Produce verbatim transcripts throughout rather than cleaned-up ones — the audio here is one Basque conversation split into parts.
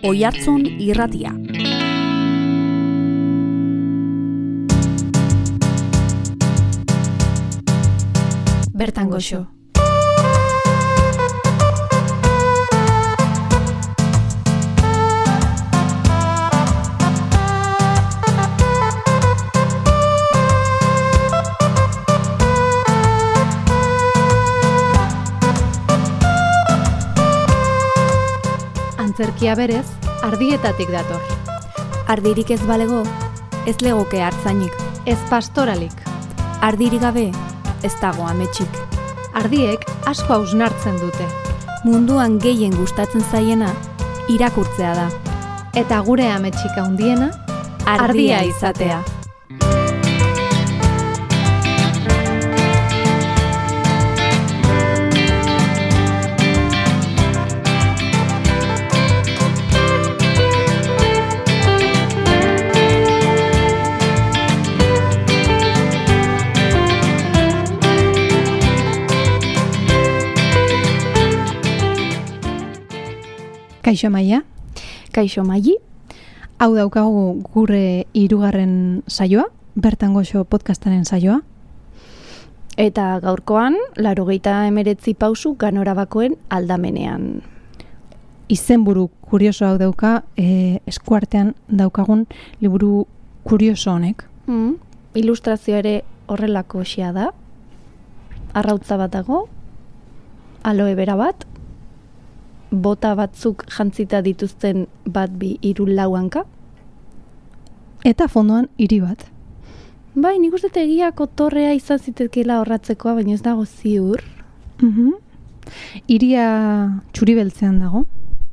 Oihartzun Irratia. Bertan goxo. Antzerkia berez, ardietatik dator. Ardirik ez balego, ez legoke hartzainik. Ez pastoralik. Ardirik gabe, ez dago ametsik. Ardiek asko hausnartzen dute. Munduan gehien gustatzen zaiena, irakurtzea da. Eta gure ametsik handiena, Ardia, ardia izatea. Kaixo Maia. Kaixo Maili. Hau daukagu gure hirugarren saioa, Bertan goxo podcastaren saioa. Eta gaurkoan, laurogeita hemeretzi pausu Ganorabakoen aldamenean. Izenburu kurioso hau dauka, e, eskuartean daukagun liburu kurioso honek. Mm, ilustrazio ere horrelako xea da. Arrautza bat dago, aloe bera bat, bota batzuk jantzita dituzten bat bi hiru lau hanka. Eta fondoan hiri bat. Bai, nik uste egiako torrea izan zitekeela horratzekoa, baina ez dago ziur. Mhm. Hiria txuri beltzean dago.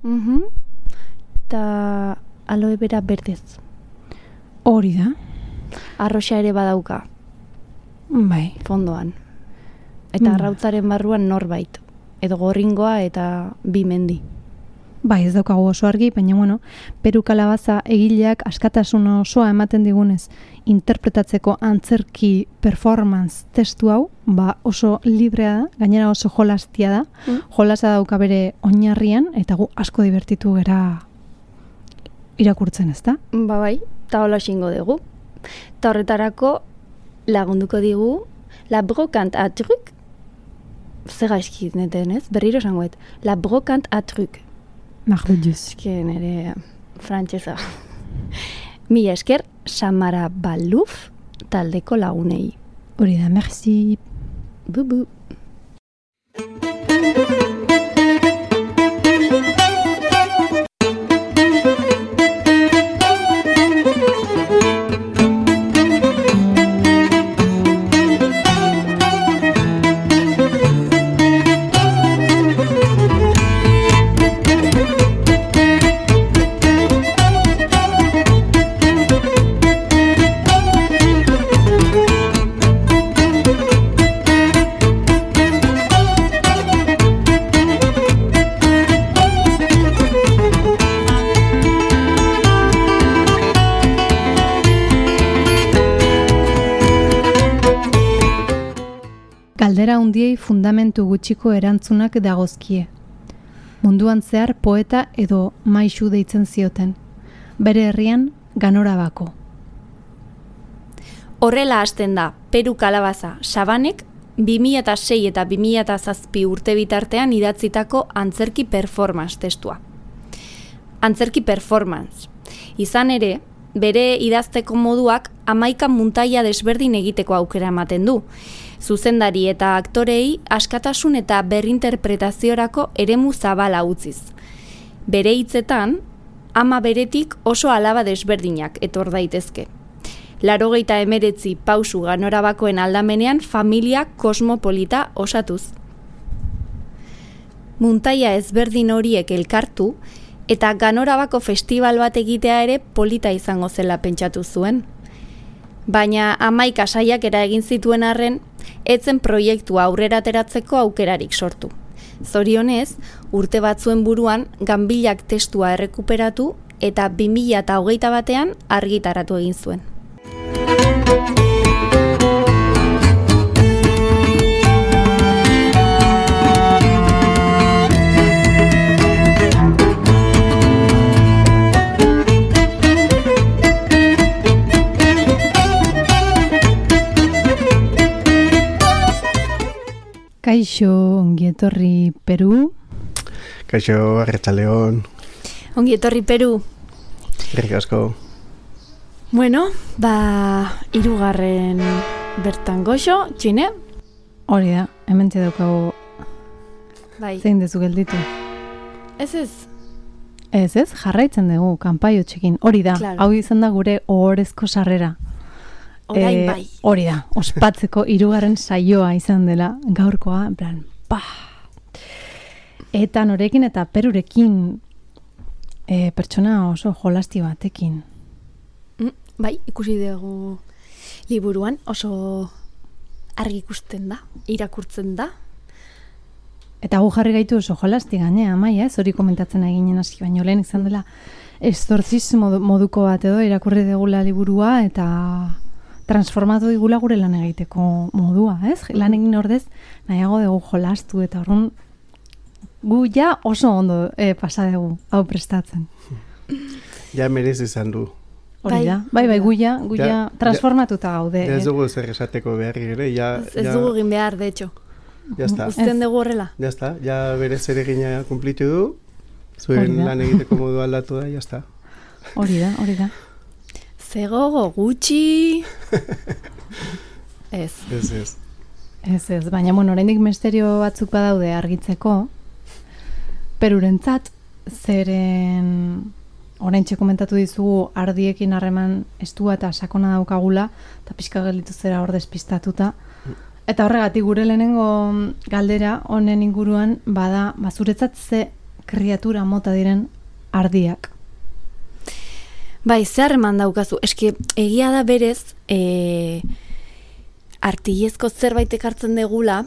Mhm. Eta aloe bera berdez. Hori da. Arroxa ere badauka. Bai. Fondoan. Eta Mm. arrautzaren barruan norbait. Edo gorringoa eta bi mendi. Bai, ez daukagu oso argi, baina bueno, Peru Kalabaza egileak askatasun osoa ematen digunez interpretatzeko antzerki performance testu hau, ba oso librea da, gainera oso jolastia da, Mm. jolasa dauka bere oinarrian, eta gu asko divertitu gera irakurtzen, ezta? Ba bai, eta hola xingo dugu. Eta horretarako lagunduko digu La Brocante à Truc. Zer gaizki neten, ez? Berriro esangoet. La Brocante à Truc. Marduduz. Eske nire frantsesa. Mila esker, Samara Baluf taldeko lagunei. Hori da, merci. Bu-bu. Galdera hundiei fundamentu gutxiko erantzunak dagozkie. Munduan zehar poeta edo maixu deitzen zioten. Bere herrian Ganorabako. Horrela hasten da, Peru Kalabaza Sabanek bi mila sei eta bi mila zazpi urte bitartean idatzitako antzerki performance testua. Antzerki performance. Izan ere, bere idazteko moduak hamaika muntaia desberdin egiteko aukera ematen du. Zuzendari eta aktorei askatasun eta berrinterpretaziorako eremu zabala utziz. Bere hitzetan, ama beretik oso alaba desberdinak etor daitezke. Laurogeita hemeretzi pausu Ganorabakoen aldamenean familia kosmopolita osatuz. Muntaia ezberdin horiek elkartu eta Ganorabako festival bat egitea ere polita izango zela pentsatu zuen. Baina hamaika saiakera egin zituen arren, etzen proiektua aurrera ateratzeko aukerarik sortu. Zorionez, urte batzuen buruan ganbilak testua errekuperatu eta bi mila hogeita batean argitaratu egin zuen. Kaixo, ongi etorri Peru. Kaixo, Arratsaldeon. Ongi etorri Peru. Eskerrik asko. Bueno, ba, hirugarren bertan goxo, txine? Hori da, hemen daukagu Bai. zein dezu gelditu. Ez ez. Ez ez, jarraitzen dugu, kanpaio txekin. Hori da, Claro. hau izan da gure ohorezko sarrera. Orain Eh, bai. Hori da, ospatzeko hirugarren saioa izan dela gaurkoa, en plan, pa! Eta norekin eta Perurekin eh, pertsona oso jolasti batekin. Mm, bai, ikusi dugu liburuan oso argi ikusten da, irakurtzen da. Eta gu jarri gaitu oso jolasti gainea, Amaia, ez hori komentatzen eginen hasi baino lehen izan dela estortzismo moduko bat edo irakurri degula liburua eta transformatu digula gure lan egiteko modua, ez? Lan egin ordez nahiago dugu jolastu eta horren gu ja oso ondo eh, pasa dugu hau prestatzen. Ja merez izan du. Hori Bai, da, bai, bai, gu ja, gu Ja, ja ja, transformatuta gaude. Ja ez eh. dugu zer esateko beharri ere, ja, Ez, ez ja, dugu egin behar, de hecho. ya está. Uzten dugu horrela. Ya está, ja bere zeregina kumplitu du, Hori zuen da. lan egiteko modu aldatu da, ya está. Hori da, hori da. Zegogo gutxi... Ez. Ez ez. Ez ez, baina bueno, oraindik misterio batzuk badaude argitzeko. Perurentzat, zeren oraintxe komentatu dizugu ardiekin harreman estua eta sakona daukagula, eta pixka gelditu zera hor despistatuta. Eta horregatik gure lehenengo galdera honen inguruan bada, bazuretzat ze kriatura mota diren ardiak. Bai, zer eman daukazu. Eske, egia da berez, e, artilezko zerbait ekartzen degula,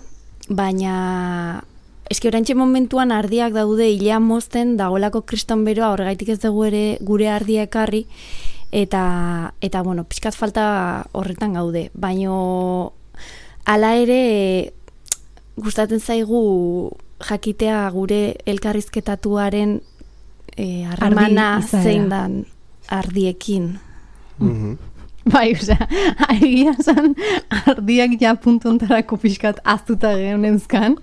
baina eske oraintxe momentuan ardiak daude hilea mozten dagoelako kriston beroa, horregaitik ez dugu ere gure ardia ekarri, eta, eta bueno, pixkat falta horretan gaude. Baino, hala ere, gustatzen zaigu jakitea gure elkarrizketatuaren e, harremana Ardi izaera. zein dan ardiekin. Mhm. Bai, osea, egia zan ardiak ja puntontarako pixkat aztuta geunenzkan,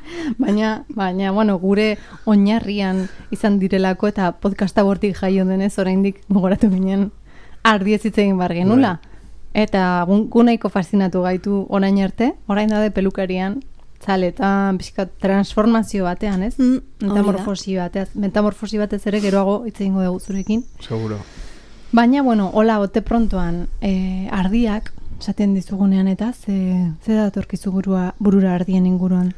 baina, baina, bueno, gure oinarrian izan direlako eta podcasta bortik jaio denez oraindik gogoratu ginen ardiez hitz egin bar genula. Eta gu gu nahiko faszinatu gaitu orain arte, orain daude pelukarian, txaletan, pixkat transformazio batean, ez? Mm, hori da. Metamorfosi batez, metamorfosi batez ere geroago hitz egingo dugu zurekin. Seguro. Baina, bueno, hola, bote prontoan eh, ardiak, esaten dizugunean eta, ze, ze datorkizu burua, burura ardien inguruan?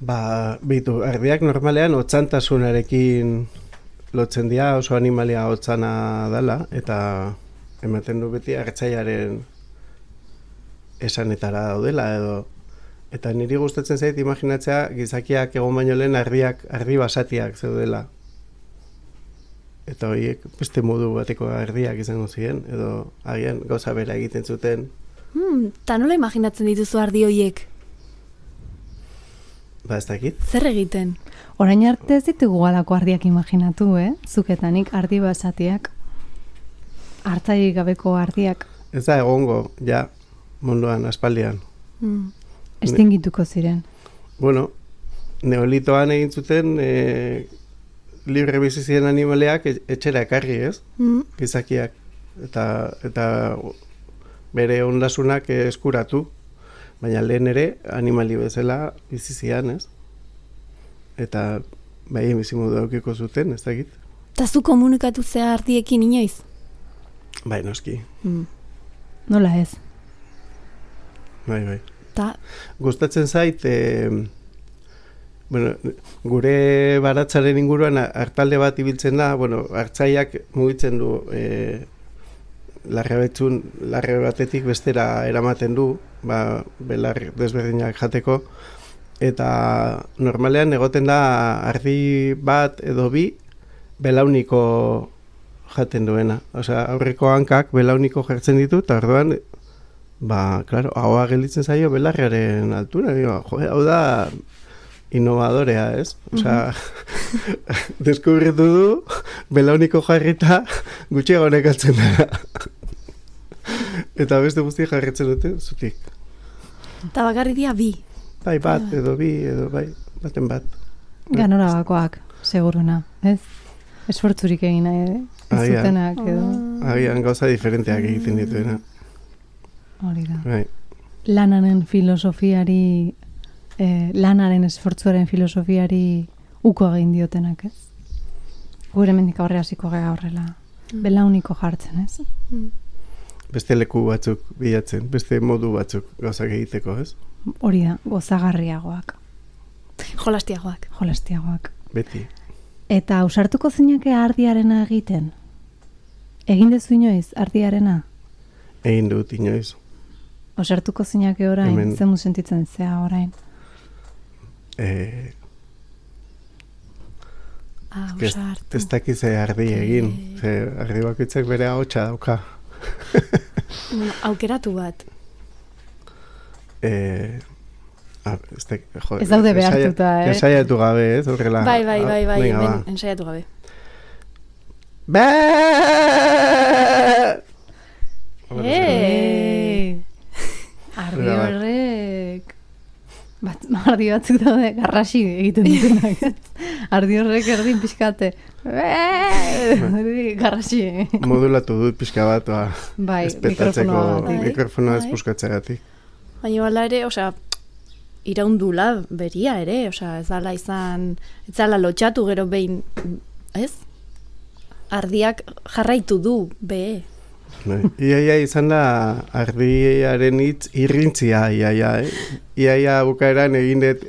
Ba, bitu, ardiak normalean otzantasunarekin lotzen dira, oso animalia otzana dela, eta ematen du beti artzaiaren esanetara daudela edo. Eta niri gustatzen zait imaginatzea gizakiak egon baino lehen ardiak, ardi basatiak zeudela. Eta horiek beste modu bateko ardiak izango ziren, edo agian gauza bera egiten zuten. Hmm, ta nola imaginatzen dituzu ardi hoiek? Ba, ez dakit. Zer egiten? Orain arte ez ditugu galako ardiak imaginatu, eh? Zuketanik ardi basatiak, hartzairik gabeko ardiak, Ez da egongo, ja, munduan, aspaldian. Hmm. estingituko ziren. Bueno, neolitoan egin zuten e, libre bizi ziren animaleak e- etxera ekarri, ez? Hmm. Gizakiak. Eta, eta bere ondasunak eskuratu. Baina lehen ere animali bezala bizi zian, ez? Eta bai bizimodu daukiko zuten, ez dakit. Ta zu komunikatu zea ardiekin inoiz? Bai, noski. Hmm. Nola ez? Bai, bai. Ta, Gustatzen zait, e, bueno, gure baratzaren inguruan hartalde bat ibiltzen da, bueno, hartzaiak mugitzen du e, larre betzun, larre batetik bestera eramaten du, ba, belar desberdinak jateko, eta normalean egoten da ardi bat edo bi belauniko jaten duena. Osea, aurreko hankak belauniko jartzen ditu, eta orduan, ba, claro, ahoa gelditzen zaio belarriaren altura. Digo, jo, hau da innovadorea, ez? Osea, deskubritu du, belauniko jarrita gutxiago nekatzen dara. Eta beste guzti jarritzen dute, zutik. ta bakarri dia bi. bai bat, edo bi, edo bai, baten bat. Ganorabakoak, seguruna, ez? Esfortzurik egin nahi, ez zutenak, edo. Agian gauza diferenteak egiten dituena. Hori da. Bai. Lanaren filosofiari, eh, lanaren esfortzuaren filosofiari uko egin diotenak, ez? Gure mendik aurre hasiko gara horrela. Belauniko jartzen, ez? Beste leku batzuk bilatzen, beste modu batzuk gauzak egiteko, ez? Hori da, gozagarriagoak. Jolastiagoak. Jolastiagoak. Beti. Eta ausartuko zinake ardiarena egiten? Egin dezu inoiz ardiarena? Egin dut inoiz. Ausartuko zinake orain, Hemen... zemu sentitzen zea orain? Eh... Ausartu. Ez dakiz ardi egin, ze ardi bakoitzak bere ahotsa dauka. Bueno, aukeratu bat. Eh... Ez, da, jo, ez daude behartuta, eh? Ensaiatu gabe, ez? Horrela. Bai, bai, bai, bai, Venga, ben, ba. ensaiatu gabe. Baaaaaa! Eeeeee! Ardi horrek... Bat, ardi batzuk daude, garrasi egiten dutenak. Ardi horrek erdin pixkate. Garrasi. Modulatu dut pixka bat, ba. Bai, espetatzeko, mikrofonoa bai. espuzkatzagatik. Baina bala ere, osea, iraundula beria ere, osea, ez dala izan, ez dala lotxatu gero behin, ez? Ardiak jarraitu du, be. Iaia izan da ardiaren hitz irrintzia, iaia, eh? Iaia bukaeran egin dut,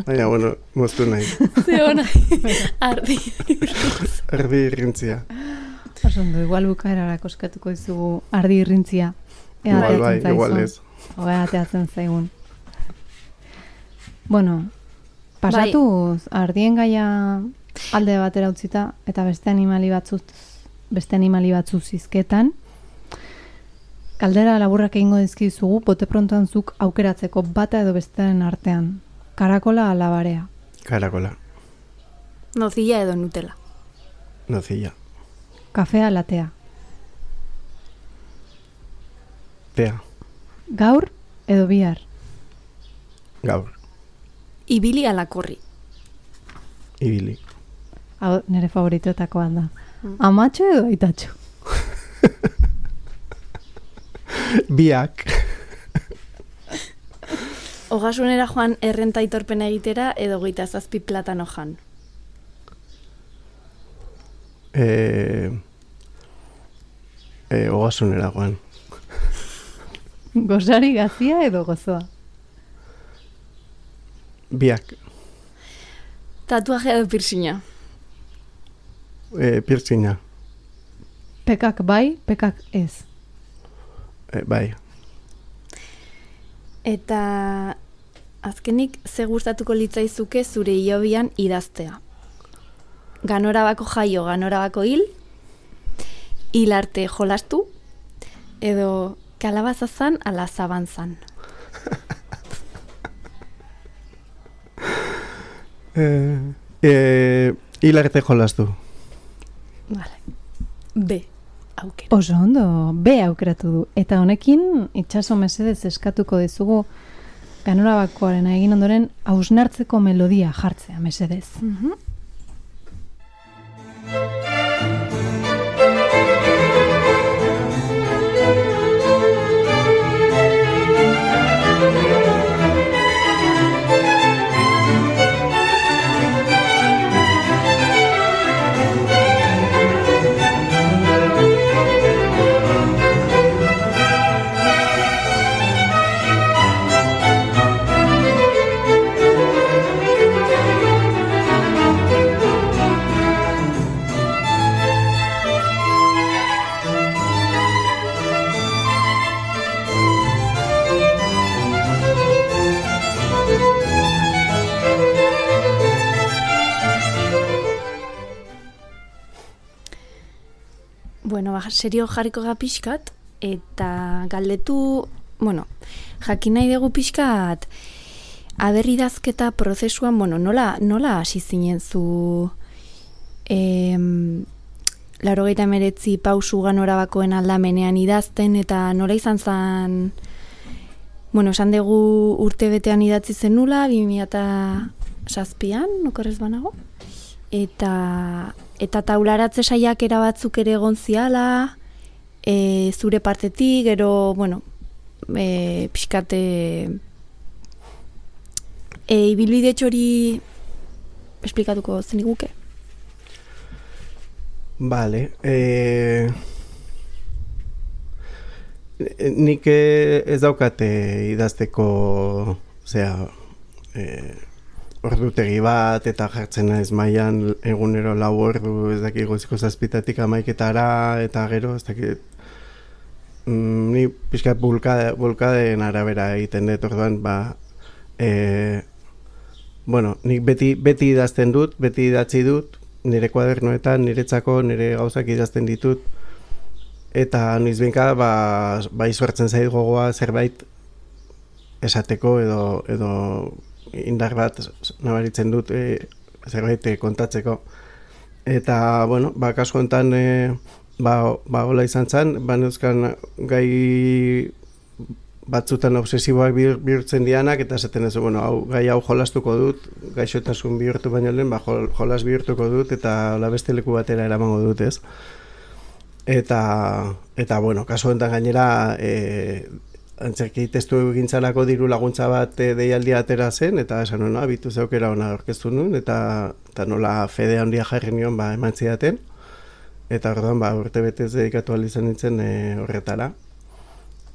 baina, bueno, moztu nahi. Zeo nahi, ardi irrintzia. Ardi irrintzia. Osondo, igual bukaerara koskatuko dizugu ardi irrintzia. Igual bai, igual ez. Oga, ateatzen zaigun. Bueno, pasatuz, bai. Ardien gaia alde batera utzita, eta beste animali batzuz, beste animali batzuz zizketan, kaldera laburrak egingo dizkizugu, bote prontoan zuk aukeratzeko bata edo bestearen artean. Karakola ala barea? Karakola. Nocilla edo Nutella? Nocilla. Kafea ala tea? Tea. Gaur edo bihar? Gaur. Ibili ala korri? Ibili. Hau, nire favoritoetakoa da. Mm. Amatxo edo aitatxo? Biak. Ogasunera joan errenta aitorpena egitera edo geita zazpi platano jan? Eh, eh, ogasunera joan. Gozari gazia edo gozoa? Biak. Tatuaje edo piercinga? Eh, piercinga. Pekak bai, pekak ez? Eh, bai. Eta azkenik ze gustatuko litzaizuke zure hilobian idaztea? Ganorabako jaio, ganorabako hil, hil arte jolastu, edo kalabazazan ala zabantzan? eh, eh, hil arte jolastu. Vale. B. Aukera. Oso ondo, B aukeratu du. Eta honekin, itxaso mesedez eskatuko dizugu ganorabakoaren egin ondoren hausnartzeko melodia jartzea mesedez. Mhm. Bueno, ba, serio jarriko ga pixkat, eta galdetu, bueno, jakin nahi dugu pixkat, aberridazketa prozesuan, bueno, nola, nola hasi zinen zu em, laurogeita hemeretzi pausu ganorabakoen aldamenean idazten, eta nola izan zen Bueno, esan dugu urte betean idatzi zenula, bi mila zazpian, okerrez banago. Eta, eta taularatze saiakera batzuk ere egon ziala, e, zure partetik, gero, bueno, e, pixkate... E, ibilbide txori esplikatuko zeniguke? Vale. Eh, nik ez daukate idazteko, osea, eh, ordutegi bat eta jartzen naiz mailan egunero lau ordu, ez dakit goiziko zazpitatik hamaiketara eta gero, ez dakit mm, ni pixkat bulkade, bulkaden arabera egiten dut, orduan, ba, eh, bueno, nik beti, beti idazten dut, beti idatzi dut, nire kuadernoetan, niretzako, nire gauzak idazten ditut, eta noizbehinka ba, ba izuertzen zait gogoa zerbait esateko edo, edo indar bat nabaritzen dut e, zerbait kontatzeko. Eta, bueno, ba, kasu honetan e, ba, ba hola izan zen, ba neuzkan gai batzutan obsesiboak bihurtzen dianak, eta esaten ez, bueno, hau, gai hau jolastuko dut, gaixotasun bihurtu baino lehen, ba, jolas bihurtuko dut, eta hola beste leku batera eramango dut, ez? Eta, eta bueno, kasu honetan gainera, e, antzerki testu egintzarako diru laguntza bat e, deialdia atera zen, eta esan nuen, abitu zeukera ona orkestu nuen, eta, eta nola fede handia jarri nion ba, eman zidaten, eta orduan ba, urte betez dedikatu ahal izan nintzen e, horretara.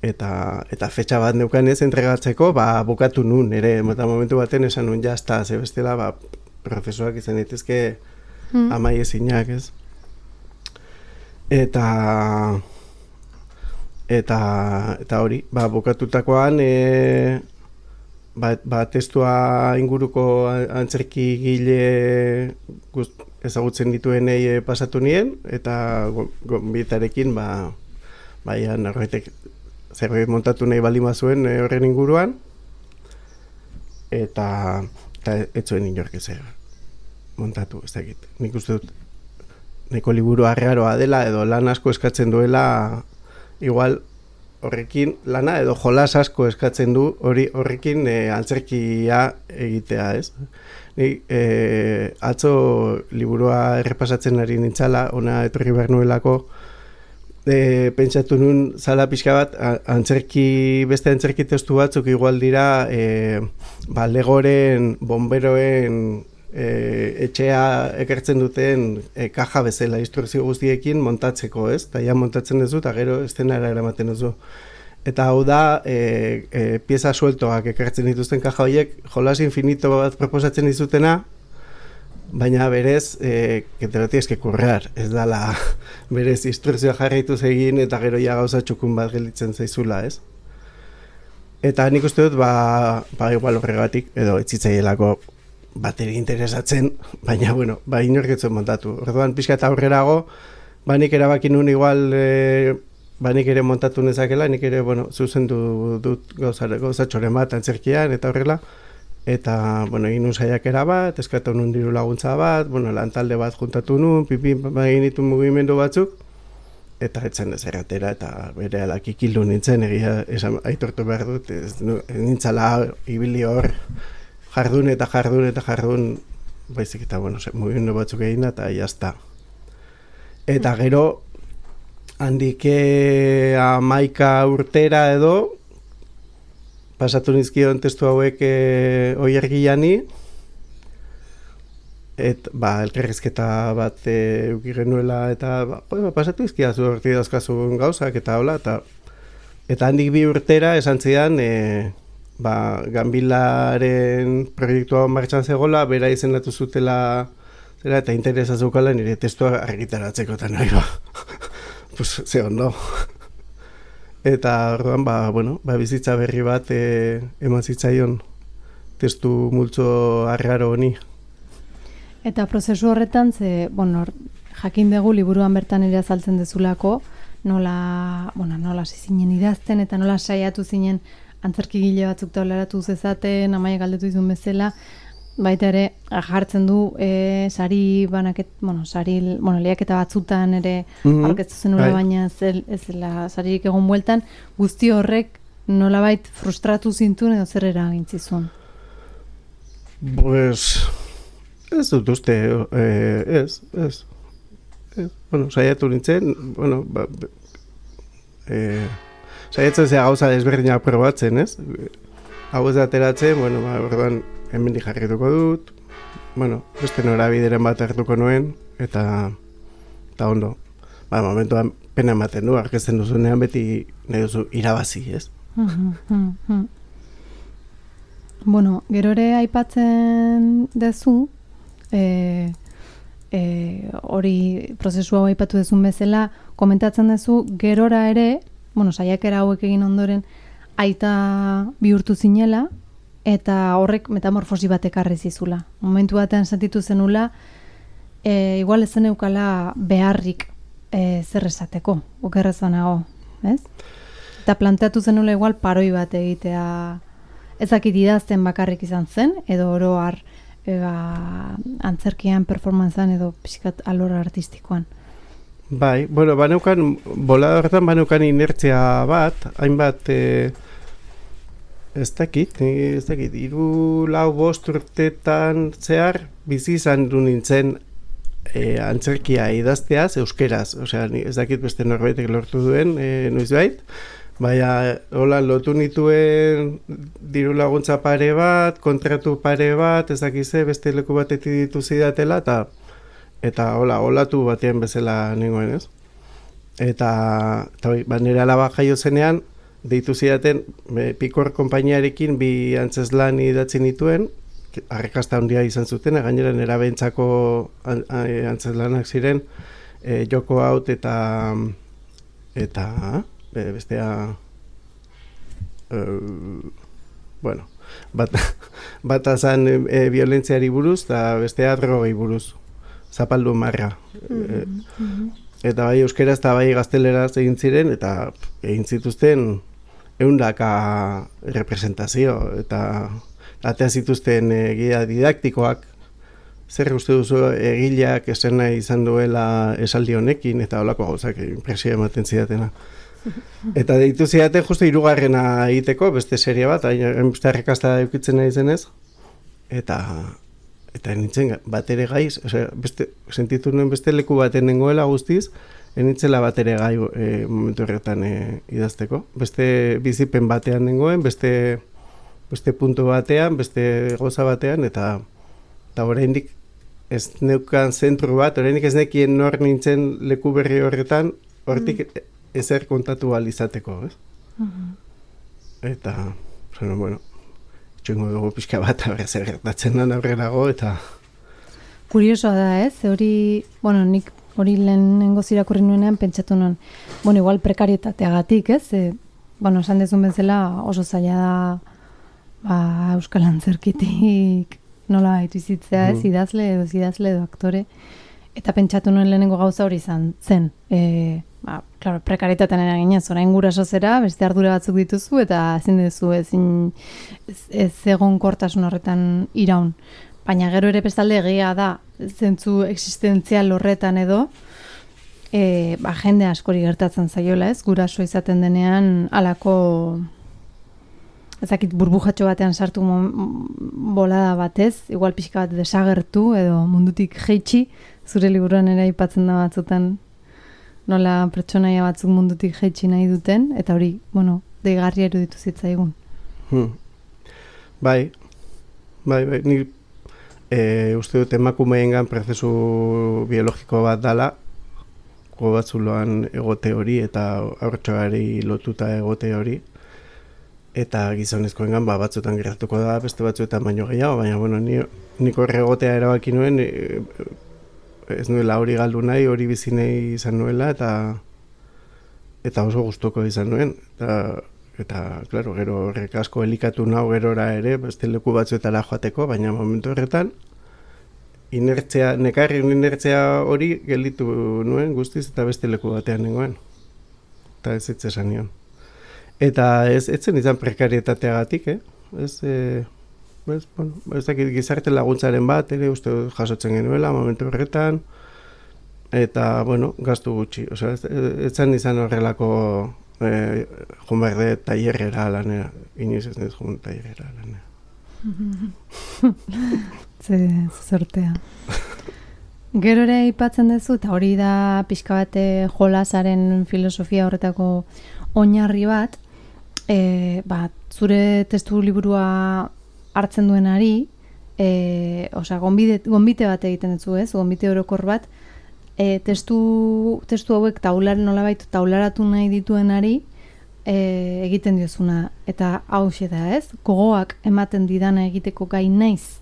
Eta, eta fetxa bat neukanez entregatzeko, ba, bukatu nun, ere, eta momentu baten esan nun jazta, ze bestela, ba, prozesuak izan daitezke mm. amai ezinak, ez? Eta, eta, eta hori, ba, bukatutakoan, e, ba, ba, testua inguruko antzerki gile gust, ezagutzen dituenei e, pasatu nien, eta gonbitarekin, ba, baian, horretek, zerbait montatu nahi baldin bazuen e, horren inguruan, eta, eta ez zuen inork ezer montatu, ez dakit. Nik uste dut, neko liburu arraroa dela, edo lan asko eskatzen duela, igual horrekin lana, edo jolas asko eskatzen du, hori horrekin e, antzerkia egitea, ez? Nik e, atzo liburua errepasatzen ari nintzala, ona etorri behar nuelako, E, pentsatu nun zala pixka bat antzerki, beste antzerki testu batzuk igual dira e, ba, legoren, bomberoen e, etxea ekertzen duten e, kaja bezala instrukzio guztiekin montatzeko, ez? Eta ja montatzen duzu eta gero estenara eramaten duzu. Eta hau da e, e, pieza sueltoak ekertzen dituzten kaja horiek jolas infinito bat proposatzen dizutena, baina berez, eh, que te lo tienes que currar, ez dala berez instrukzioa jarraituz egin eta gero ja gauza txukun bat gelditzen zaizula, ez? Eta nik uste dut, ba, ba igual horregatik, edo etzitzaielako bateri interesatzen, baina, bueno, ba inorketzen montatu. Orduan, pixka eta aurrerago, ba nik erabaki nun igual, e, ba nik ere montatu nezakela, nik ere, bueno, zuzendu dut gauza, gauza txoren bat antzerkian, eta horrela, eta, bueno, egin nun saiakera bat, eskatu nun diru laguntza bat, bueno, lantalde bat juntatu nun, pipi egin ditu mugimendu batzuk, eta etzen ez erratera, eta bere alak ikildu nintzen, egia esan aitortu behar dut, ez nintzala ibili hor jardun eta jardun eta jardun, baizik eta, bueno, mugimendu batzuk egin da, eta jazta. Eta gero, handike amaika urtera edo, pasatu nizkion testu hauek e, oiergiani, et, ba, elkarrizketa bat e, uki genuela, eta ba, ba, pasatu izkiazu horti dauzkazun gauzak, eta hola, eta, eta handik bi urtera esan zidan, e, ba, Ganbilaren proiektua martxan zegoela, bera izendatu zutela, zera, eta interesa zeukala nire testua argitaratzeko, eta nahi ba, pues, ze ondo. Eta orduan, ba, bueno, ba, bizitza berri bat e, eman zitzaion testu multzo arraro honi. Eta prozesu horretan, ze, bueno, jakin dugu liburuan bertan ere azaltzen dezulako, nola, bueno, nola zinen idazten eta nola saiatu zinen antzerkigile batzuk taularatu zezaten, Amaia galdetu izun bezala, baita ere jartzen du e, sari banaket, bueno, sari, bueno, lehiaketa batzutan ere mm-hmm. aurkeztu zenula, baina ez zela saririk egon bueltan, guzti horrek nolabait frustratu zintuen edo zer eragintzizun? Pues, ez dut uste, eh, ez, ez, ez. Bueno, saiatu nintzen, bueno, ba, eh, saiatzen zea gauza desberdinak probatzen, ez? Hau ez ateratzen, bueno, ba, orduan, hemendik jarrituko dut, bueno, beste norabideren bat hartuko nuen, eta, eta ondo. Ba, momentuan pena ematen du, arkezten duzunean beti nahi duzu irabazi, ez? Bueno, gero ere aipatzen dezu, e, e, hori prozesu hau aipatu dezun bezala, komentatzen dezu, gerora ere, bueno, saiakera hauek egin ondoren, aita bihurtu zinela, eta horrek metamorfosi bat ekarri zizula. Momentu batean sentitu zenula, e, igual ez zen eukala beharrik e, zer esateko, okerrezanago, ez? Eta planteatu zenula igual paroi bat egitea, ezakit idazten bakarrik izan zen, edo oro har eba, antzerkian, performantzan edo pixkat alor artistikoan. Bai, bueno, baneukan, bolada horretan baneukan inertzia bat, hainbat, e, ez dakit, ez dakit, iru lau bost urtetan zehar, bizi izan du nintzen e, antzerkia idazteaz, euskeraz, osea, ez dakit beste norbaitek lortu duen, e, noizbait, baina, hola, lotu nituen diru laguntza pare bat, kontratu pare bat, ez dakize, beste leku batetik ditu zidatela, eta, eta hola, olatu batean bezala nengoen, ez? Eta, eta ba, nire alaba jaio zenean, deitu zidaten, be, Pikor konpainiarekin bi antzeslan idatzi nituen, arrakasta handia izan zuten, gainera nera behintzako antzeslanak ziren, e, joko haut eta, eta, Be, bestea uh, bueno bat, bat azan e, violentziari buruz eta bestea drogei buruz zapaldu marra mm-hmm. e, eta bai euskera eta bai gazteleraz egin ziren eta egin zituzten ehundaka representazio eta atea zituzten e, guia didaktikoak. Zer uste duzu egileak esena izan duela esaldi honekin eta holako gauzak impresioa ematen zidatena. Eta deitu zidaten justu hirugarrena egiteko, beste serie bat, beste arrakasta eukitzen nahi zenez, eta eta nintzen bat ere gaiz, osea, beste, sentitu nuen beste leku baten nengoela guztiz, nintzela bat ere gai e, momentu horretan e, idazteko. Beste bizipen batean nengoen, beste, beste puntu batean, beste goza batean, eta eta oraindik ez neukan zentru bat, oraindik ez nekien nor nintzen leku berri horretan, hortik mm. ezer kontatu ahal izateko, ez? Uh-huh. Eta, bueno, bueno, txungo dugu pixka bat, zer gertatzen den aurrerago, eta... Kuriosoa da, ez? Hori, bueno, nik hori lehenengo zirakurri nuenean pentsatu nuen, bueno, igual prekarietateagatik, ez? E, bueno, esan dezun bezala oso zaila da ba, Euskal Antzerkitik nola baitu izitzea, ez? Idazle edo idazle edo aktore. Eta pentsatu nuen lehenengo gauza hori izan zen. E, ba, claro, prekaritatean eraginez, orain guraso zera, beste ardura batzuk dituzu, eta ezin duzu ezin ez, ez egon kortasun horretan iraun. Baina gero ere bestalde egia da, zentzu existentzial horretan edo, e, ba, jende askori gertatzen zaiola, ez? Guraso izaten denean halako ezakit burbujatxo batean sartu bolada batez, igual pixka bat desagertu edo mundutik jeitsi, zure liburuan ere aipatzen da batzutan nola pertsonaia batzuk mundutik jeitsi nahi duten, eta hori, bueno, deigarria eruditu zitzaigun. Hmm. Bai, bai, bai, ni e, uste dut emakumeengan prozesu biologiko bat dala, go batzuloan egote hori eta haurtxoari lotuta egote hori, eta gizonezkoengan ba, batzutan gertatuko da, beste batzuetan baino gehiago, baina bueno, ni, niko erregotea erabaki nuen, e, ez nuela hori galdu nahi, hori bizi nahi izan nuela, eta eta oso gustuko izan nuen, eta, eta claro, gero horrek asko elikatu nau gerora ere, beste leku batzuetara joateko, baina momentu horretan, inertzia, nekarren inertzia hori gelditu nuen guztiz, eta beste leku batean nengoen, eta ez ez esan nion. Eta ez etzen izan prekarietateagatik, eh? Ez, eh, ez, bueno, ez dakit gizarte laguntzaren bat, ere uste jasotzen genuela momentu horretan, eta, bueno, gastu gutxi. Osea, ez, ez zen izan horrelako e, joan behar dut tailerrera lanera, inoiz ez dut joan tailerrera lanera. Ze sortea. Gero ere aipatzen duzu, eta hori da pixka bate jolasaren filosofia horretako oinarri bat, e, ba, zure testu liburua hartzen duenari, e, osea, gonbite, gonbite bat egiten dutzu, ez? Gonbite orokor bat, e, testu, testu hauek taular, nolabait taularatu nahi dituenari e, egiten diozuna. Eta hauxe da, ez? Gogoak ematen didana egiteko gai naiz,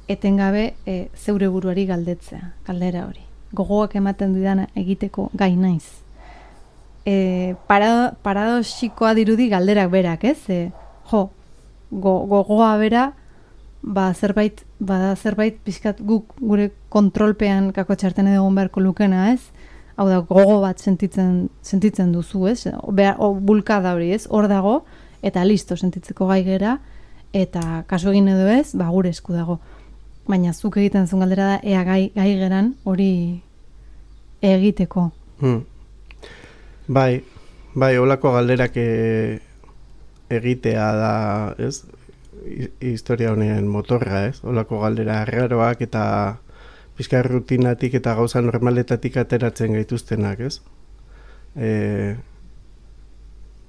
etengabe e, zeure buruari galdetzea, galdera hori. Gogoak ematen didana egiteko gai naiz. E, para, paradoxikoa dirudi galderak berak, ez? E, jo, go, gogoa bera, ba zerbait, bada zerbait pixkat guk gure kontrolpean kako txarten egon beharko lukena, ez? Hau da, gogo bat sentitzen, sentitzen duzu, ez? Behar, o, bulkada hori, ez? Hor dago, eta listo sentitzeko gai gera, eta kasu egin edo ez, ba gure esku dago. Baina zuk egiten zuen galdera da, ea gai, gai geran hori egiteko. Hmm. Bai, bai, holako galderak e, egitea da, ez? I, historia honen motorra, ez? Holako galdera arraroak eta pixka rutinatik eta gauza normaletatik ateratzen gaituztenak, ez? E,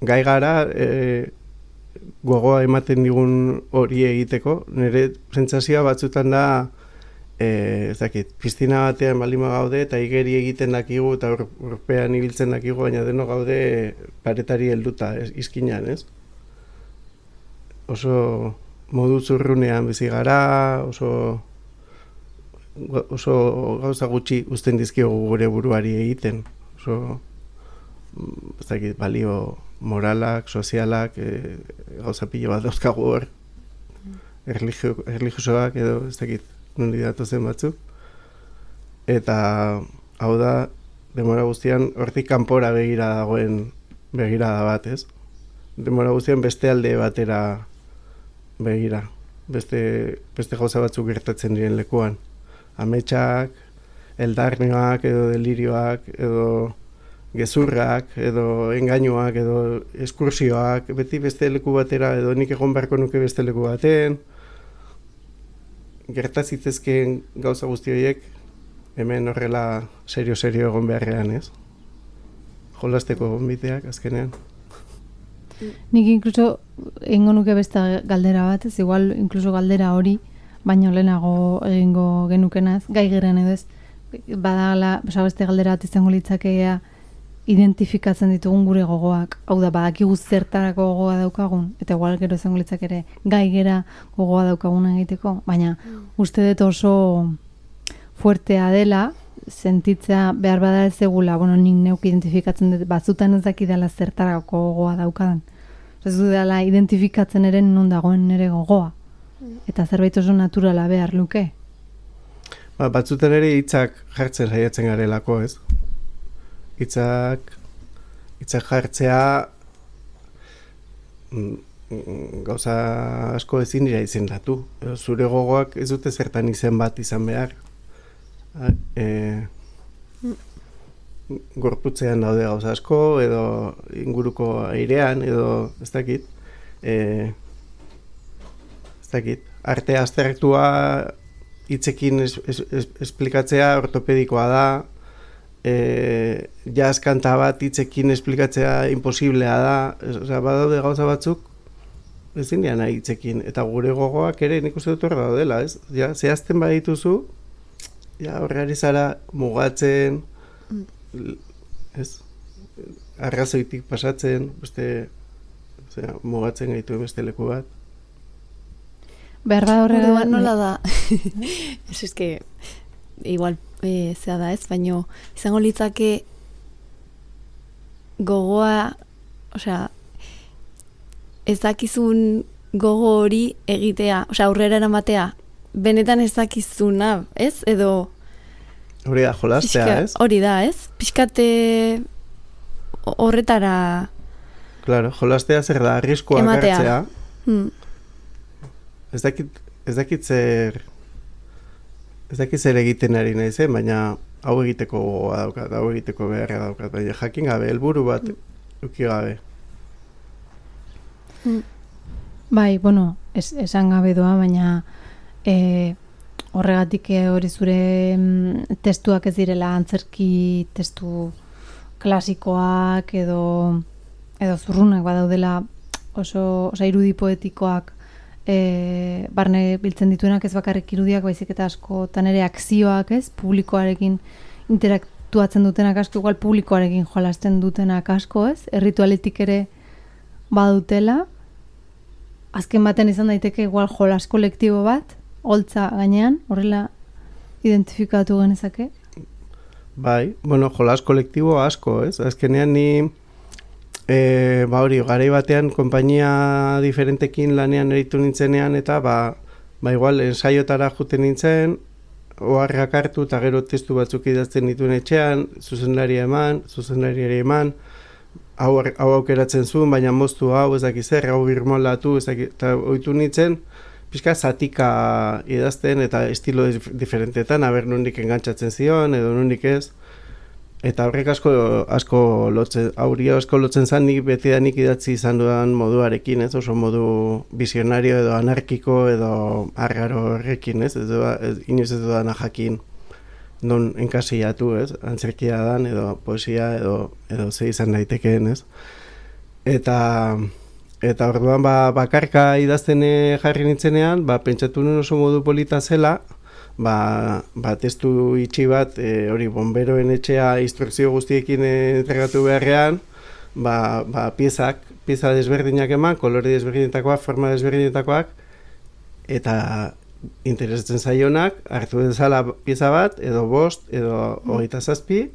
gai gara, e, gogoa ematen digun hori egiteko, nire sentsazioa batzutan da, e, ez dakit, piztina batean balima gaude eta igeri egiten dakigu eta urpean ibiltzen dakigu, baina deno gaude paretari helduta, ez, izkinan, ez? Oso modu zurrunean bizi gara, oso, oso gauza gutxi uzten dizkiogu gure buruari egiten, oso, ez dakit, balio moralak, sozialak, e, gauza pilo bat dauzkagu hor, erligio, erligiosoak edo ez dakit nondi datozen batzuk. Eta hau da, demora guztian hortik kanpora begira dagoen begirada bat, ez? Demora guztian beste alde batera begira, beste, beste gauza batzuk gertatzen diren lekuan. Ametsak, eldarnioak edo delirioak edo gezurrak, edo engainuak, edo eskursioak, beti beste leku batera, edo nik egon beharko nuke beste leku baten. Gertazitzezkeen gauza guzti horiek, hemen horrela serio-serio egon beharrean, ez? Jolasteko gonbiteak, azkenean. Nik inkluso egingo nuke beste galdera bat, ez igual inkluso galdera hori, baino lehenago egingo genukenaz, gai geren edo ez, badala, beste galdera bat izango litzakea, identifikatzen ditugun gure gogoak, hau da, badakigu zertarako gogoa daukagun, eta igual gero izango litzak ere gai gera gogoa daukagun egiteko, baina uste dut oso fuertea dela, sentitzea behar bada ez egula, bueno, nik neuk identifikatzen dut, batzutan ez dakidala zertarako gogoa daukadan. Ez du dela identifikatzen ere non dagoen nire gogoa, eta zerbait oso naturala behar luke. Ba, batzutan ere hitzak jartzen saiatzen garelako, ez? Hitzak, hitzak jartzea gauza asko ezin dira izendatu. Zure gogoak ez dute zertan izen bat izan behar. E, gorputzean daude gauza asko, edo inguruko airean, edo ez dakit. E, ez dakit. Arte abstraktua hitzekin es, es, es, esplikatzea ortopedikoa da. E, jazz kanta bat hitzekin esplikatzea imposiblea da, osea, badaude gauza batzuk ezin dira nahi hitzekin, eta gure gogoak ere nik uste dut horra daudela, ez? Ja, zehazten badituzu, ja, horreari zara mugatzen, ez? Arrazoitik pasatzen, beste, osea, mugatzen gaitu beste leku bat. Behar da horrela... Nola da? Ez eske, igual, e, zea da ez, baino izango litzake gogoa, osea, ez dakizun gogo hori egitea, osea, aurrera eramatea, benetan ez dakizuna, ez? Edo... Hori da, jolastea, pixka, ez? Hori da, ez? Piskate horretara... Claro, jolastea zer da, arriskoak hartzea. Hmm. Ez dakit, ez dakit zer... Ez dakit zer egiten ari nahi zen, baina hau egiteko gogoa daukat, hau egiteko beharra daukat, baina jakin gabe helburu bat uki gabe. Mm. Bai, bueno, es, esan gabe doa, baina e, horregatik hori zure mm, testuak ez direla antzerki testu klasikoak edo edo zurrunak badaudela oso, oso irudi poetikoak e, barne biltzen dituenak ez bakarrik irudiak, baizik eta askotan ere akzioak, ez? Publikoarekin interaktuatzen dutenak asko, igual publikoarekin jolasten dutenak asko, ez? Erritualetik ere badutela. Azken baten izan daiteke igual jolas kolektibo bat, holtza gainean, horrela identifikatu genezake? Bai, bueno, jolas kolektibo asko, ez? Azkenean ni, e, ba hori, garai batean konpainia diferentekin lanean eritu nintzenean, eta ba, ba igual, ensaiotara juten nintzen, oharrak hartu, eta gero testu batzuk idazten dituen etxean, zuzendari eman, zuzendariari eman, hau, hau aukeratzen zuen, baina moztu hau, ez dakiz zer, hau birmolatu, ez dakiz, eta ohitu nintzen, pixka zatika idazten eta estilo diferentetan, aber nondik engantzatzen zion, edo nondik ez. Eta horrek asko, asko lotzen, aurio asko lotzen zan, nik beti da nik idatzi izan dudan moduarekin, ez? Oso modu visionario edo anarkiko edo argaro horrekin, ez? Ez, ez inoiz ez dudana jakin non enkasillatu, ez? Antzerkia dan, edo poesia, edo, edo ze izan daitekeen, ez? Eta... Eta orduan ba, bakarka idazten jarri nintzenean, ba, pentsatu nuen oso modu polita zela, ba, ba testu itxi bat, e, hori bomberoen etxea instrukzio guztiekin entregatu beharrean, ba, ba piezak, pieza desberdinak eman, kolore desberdinetakoak, forma desberdinetakoak, eta interesatzen zaionak, hartu dezala pieza bat, edo bost, edo hogeita zazpi,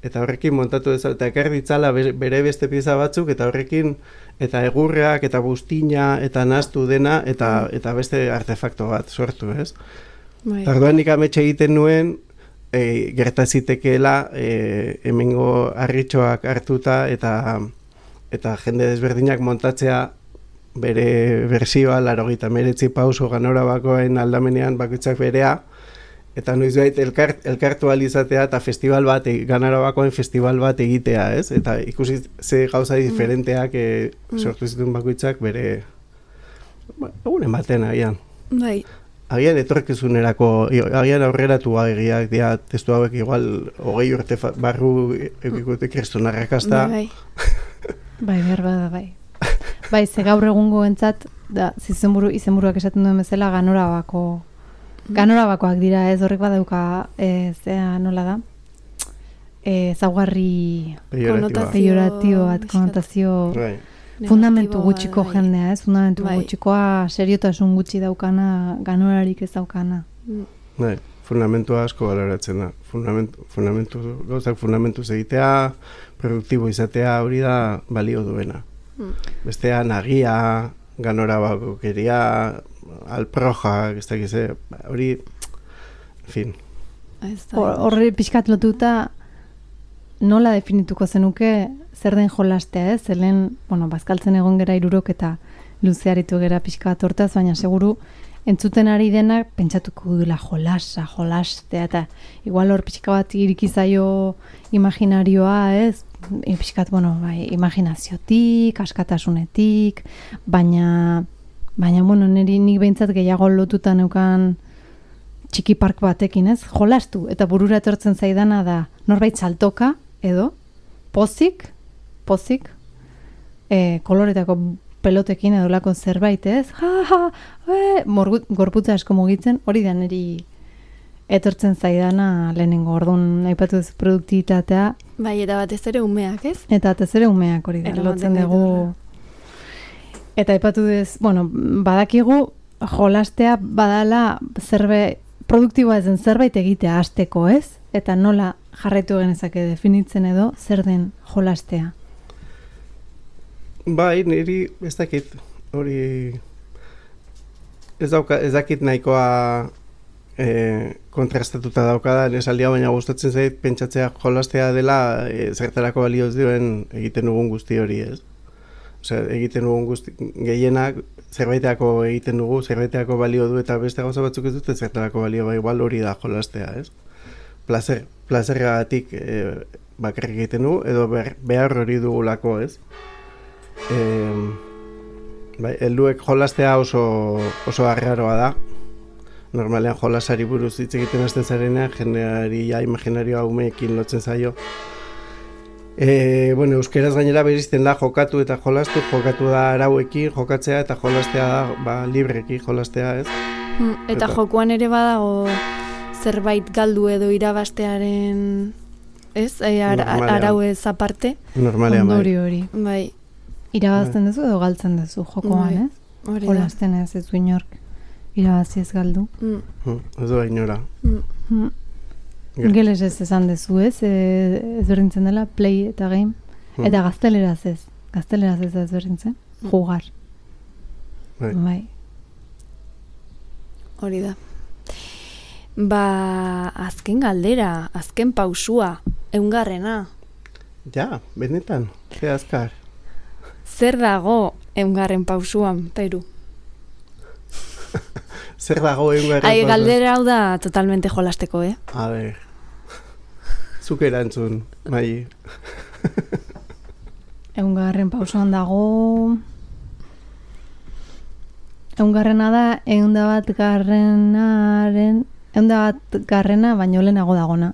eta horrekin montatu dezala, eta ekar ditzala bere beste pieza batzuk, eta horrekin, eta egurreak, eta buztina, eta nahastu dena, eta, eta beste artefakto bat sortu, ez? Tarduan nik ametxe egiten nuen, e, gertazitekeela e, hemengo harritxoak hartuta, eta, eta jende desberdinak montatzea bere bersioa, larogeita hemeretzi pauso ganora bakoen aldamenean bakoitzak berea, eta noizbait elkart, elkartu alizatea eta festival bat, Ganarabakoen festival bat egitea, ez? Eta ikusi ze gauza diferenteak e, sortu zituen bakoitzak bere ba, egunen baten agian. Bai. Agian etorkizunerako, agian aurreratu egiak dira testu hauek igual hogei urte barru egikote kriston arrakasta. Bai, bai, behar bada, bai. Bai, ze gaur egungo entzat, da, izenburu, izenburuak esaten duen bezala, Ganorabako Ganorabakoak dira, ez horrek badauka, e, zea nola da, e, zaugarri pejoratio bat, konotazio Right. fundamentu gutxiko bai. jendea, ez? Fundamentu Bai. gutxikoa, seriotasun gutxi daukana, ganorarik ez daukana. Bai, fundamentua asko baloratzen da. Fundamentu, fundamentu, gauzak fundamentuz egitea, produktibo izatea, hori da balio duena. Mm. Bestea nagia, Ganorabakokeria, alproja, ez dakiz, hori, en fin. Horre pixkat lotuta nola definituko zenuke zer den jolastea, ez? Zelen, bueno, bazkaltzen egon gera irurok eta luzearitu gera pixkat hortaz, baina seguru entzuten ari denak pentsatuko duela jolasa, jolastea, eta igual hor pixka bat irikizaio imaginarioa, ez? E, pixkat, bueno, bai, imaginaziotik, askatasunetik, baina, baina, bueno, niri nik behintzat gehiago lotuta neukan txiki park batekin, ez? Jolastu, eta burura etortzen zaidana da norbait saltoka, edo, pozik, pozik, e, koloretako pelotekin edo lako zerbait, ez? Ja, ja, e, morgut, gorputza asko mugitzen, hori da niri etortzen zaidana lehenengo, orduan aipatu ez produktibitatea. Bai, eta batez ere umeak, ez? Eta batez ere umeak hori da, lotzen dugu. Eta aipatu ez, bueno, badakigu jolastea badala zerbait, produktiboa ezen zerbait egitea hasteko, ez? Eta nola jarraitu genezake definitzen edo zer den jolastea? Bai, niri ez dakit, hori ez, dauka, ez dakit nahikoa e, kontrastatuta daukadan esaldia, baina gustatzen zait pentsatzea jolastea dela e, zertarako balioz duen egiten dugun guzti hori, ez? Osea, egiten dugun guzti, gehienak zerbaiteako egiten dugu, zerbaiteako balio du eta beste gauza batzuk ez dute zertarako balio, bai, igual hori da jolastea, ez? Plazer, plazergatik e, bakarrik egiten du, edo behar hori dugulako, ez? E, bai, helduek jolastea oso, oso arraroa da. Normalean jolasari buruz hitz egiten hasten zarenean, jendearia imaginarioa umeekin lotzen zaio. E, bueno, euskeraz gainera berizten da jokatu eta jolastu, jokatu da arauekin, jokatzea eta jolastea da ba, libreki jolastea, ez? Mm, eta, eta jokoan ere badago zerbait galdu edo irabastearen, ez? E, ar, arauez aparte. Normalean, bai. Ondori hori. Bai. Irabazten duzu edo galtzen duzu jokoan, ez? Hori da. Jolasten ez ez du inork. Irabazi ez galdu. Mm. Mm, ez da inora. Mm. Mm. Geles ez esan dezu, ez? E, ez berdintzen dela, play eta game. Mm. Eta gazteleraz ez. Gazteleraz ez ez berdintzen. Mm. Jugar. Bai. Bai. Hori da. Ba, azken galdera, azken pausua, eungarrena. Ja, benetan, ze azkar. Zer dago eungarren pausuan, Peru? Zer dago eungarren pausuan? Ai, galdera hau da totalmente jolasteko, eh? A ber, zuk erantzun, Mai. Eungarren pausuan dago... Eungarrena da, eunda bat garrenaren... Eunda bat garrena, baino lehenago dagona.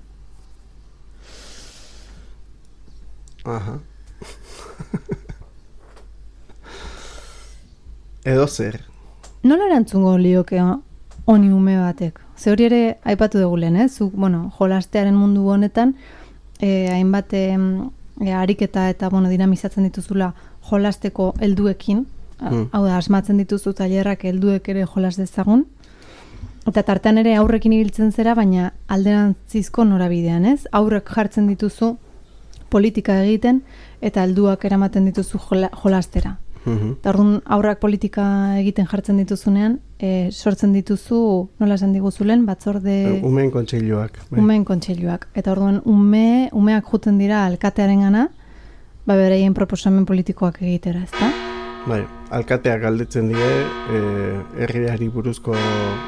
Aha. Edo zer? Nola erantzungo lioke honi ume batek? Ze hori ere aipatu dugu lehen, eh? Zuk, bueno, jolastearen mundu honetan, eh, hainbat eh, ariketa eta bueno, dinamizatzen dituzula jolasteko helduekin, mm. hau da, asmatzen dituzu tailerrak helduek ere jolas dezagun, eta tartean ere aurrekin ibiltzen zera, baina alderantzizko norabidean, ez? Aurrek jartzen dituzu politika egiten, eta helduak eramaten dituzu jola, jolastera. Mm-hmm. Eta orduan aurrak politika egiten jartzen dituzunean, e, sortzen dituzu, nola esan diguzulen, batzorde... Umeen kontseiluak. Bai. Umeen kontseiluak. Eta orduan ume, umeak juten dira alkatearen gana, ba beraien proposamen politikoak egitera, ezta? Bai, alkateak galdetzen die eh, herriari buruzko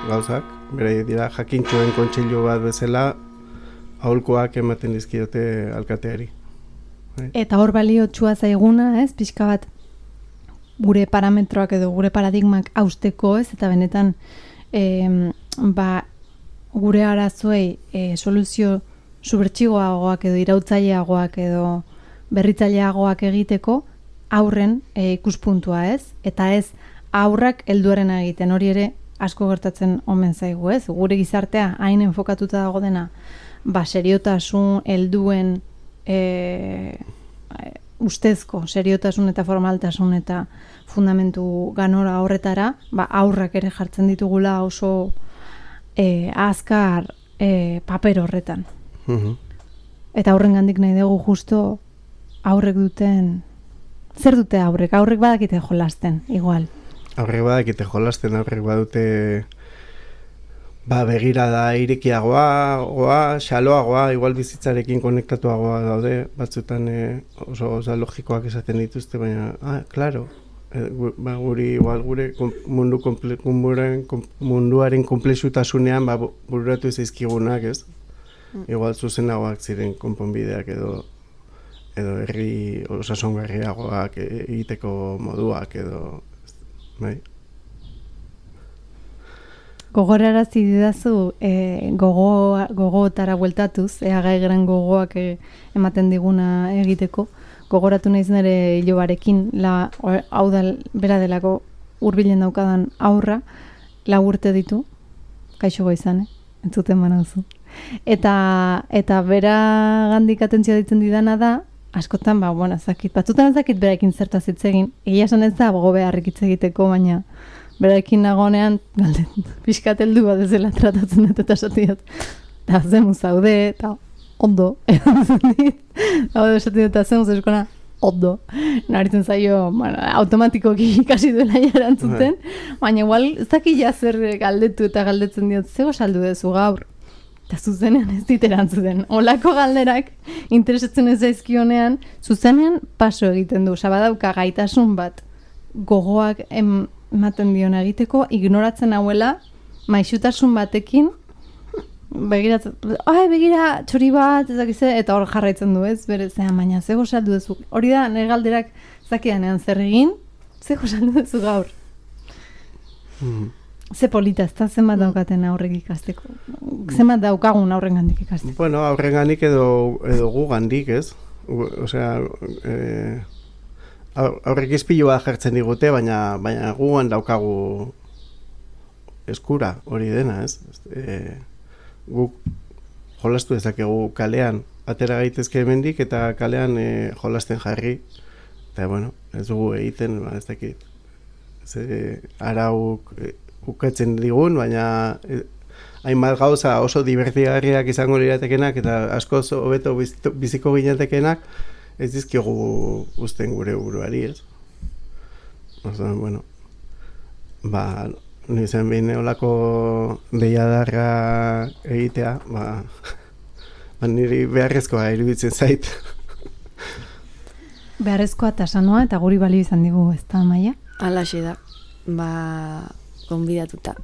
gauzak, beraiek dira jakintxuen kontseilu bat bezala aholkoak ematen dizkiote alkateari. Bai. Eta hor baliotsua zaiguna, ez, pixka bat gure parametroak edo gure paradigmak hausteko, ez, eta benetan e, ba, gure arazoei e, soluzio subertsigoagoak edo irautzaileagoak edo berritzaileagoak egiteko aurren e, ikuspuntua, ez? Eta ez aurrak helduaren egiten, hori ere asko gertatzen omen zaigu, ez? Gure gizartea hain enfokatuta dago dena, ba, seriotasun, helduen e, ustezko seriotasun eta formaltasun eta fundamentu ganora horretara, ba, aurrak ere jartzen ditugula oso e, azkar e, paper horretan. Mm-hmm. Eta aurren gandik nahi dugu justo aurrek duten, zer dute aurrek? Aurrek badakite jolasten, igual. Aurrek badakite jolasten, aurrek badute ba, begirada irekiagoa, goa, xaloagoa, igual bizitzarekin konektatuagoa daude, batzutan e, oso, oso logikoak esaten dituzte, baina, ah, klaro, e, gu, ba, guri, igual gure mundu komple, munduaren, munduaren komplexutasunean ba, bururatu zaizkigunak, ez? Mm. Igual zuzenagoak ziren konponbideak edo edo herri osasongarriagoak egiteko moduak edo, bai. Gogorarazi didazu e, gogo, gogootara bueltatuz, ea gai gran gogoak e, ematen diguna egiteko. Gogoratu naiz nire ilobarekin, la, hau da bera delako hurbilen daukadan aurra, lau urte ditu, kaixo goizan, eh? Entzuten banauzu. Eta, eta bera gandik atentzioa ditzen didana da, askotan, ba, bueno, zakit, batzutan zakit beraekin zertaz hitz egin, egia esan ez da gogo beharrik hitz egiteko, baina beraekin nagonean, galde, pixkat heldu bat ezela tratatzen dut eta esatiot. Eta zemu zaude, eta ondo, erantzun dit. Hau da esatzen dut, eta zemu zeskona, ondo. Naritzen zaio, bueno, automatikoki ikasi duela erantzuten, baina igual, zakila zer galdetu eta galdetzen diot, zego saldu dezu gaur. Eta zuzenean ez dit erantzuten. Olako galderak interesatzen ez zaizkionean, zuzenean paso egiten du. Sabadauka gaitasun bat gogoak ematen diona egiteko, ignoratzen hauela, maixutasun batekin, begiratzen, ai, begira, txori bat, ezakize, eta hor jarraitzen du, ez, bere, zean, baina, zego saldu duzu. Hori da, nire galderak zakidanean zer egin, zego saldu duzu gaur. Mm. Ze polita, ez da, zenbat daukaten aurrek ikasteko. Zenbat daukagun aurren gandik ikasteko. Bueno, aurren gandik edo, edo gu gandik, ez? Osea, eh, aurrek izpilu bat jartzen digute, baina, baina guan daukagu eskura hori dena, ez? E, guk jolastu dezakegu kalean, atera gaitezke hemendik eta kalean e, jolasten jarri. Eta, bueno, ez dugu egiten, ba, ez dakit. Ze arauk e, ukatzen digun, baina e, hainbat gauza oso divertigarriak izango liratekenak eta askoz hobeto biziko ginatekenak ez dizkigu uzten gure buruari, ez? Oso, bueno, ba, nizen behin olako deiadarra egitea, ba, ba niri beharrezkoa iruditzen zait. Beharrezkoa eta sanoa eta guri balio izan digu, ez da, Maia? Alaxe da, ba, gonbidatuta.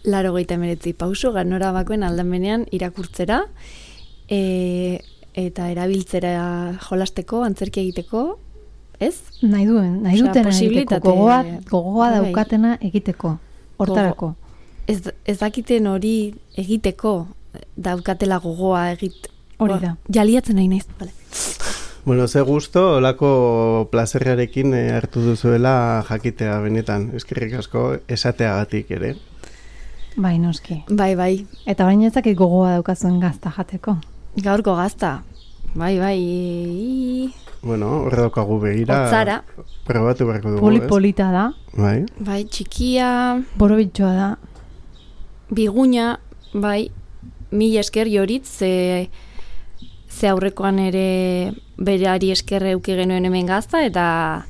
Laro geita emeretzi pauso, ganora bakoen aldamenean irakurtzera, e, eta erabiltzera jolasteko, antzerki egiteko, ez? Nahi duen, nahi Osea, dutena egiteko, posibilitate- gogoa, gogoa Bai. daukatena egiteko, hortarako. Ez, ez dakiten hori egiteko, daukatela gogoa egit. Hori Ba, da. Jaliatzen nahi naiz, vale. Bueno, ze gusto, olako plazerrarekin eh, hartu duzuela jakitea benetan, eskerrik asko esateagatik ere. Bai, noski. Bai, bai, Eta baina ez dakit gogoa daukazuen gazta jateko. gaurko gazta. Bai, bai, i- Bueno, hor daukagu begira. Hotzara. Probatu beharko dugu, Poli ez? polita da, Bai. bai, txikia, borobitxoa da. biguña, bai, mila esker joritz, ze, ze aurrekoan ere berari esker euki genuen hemen gazta, eta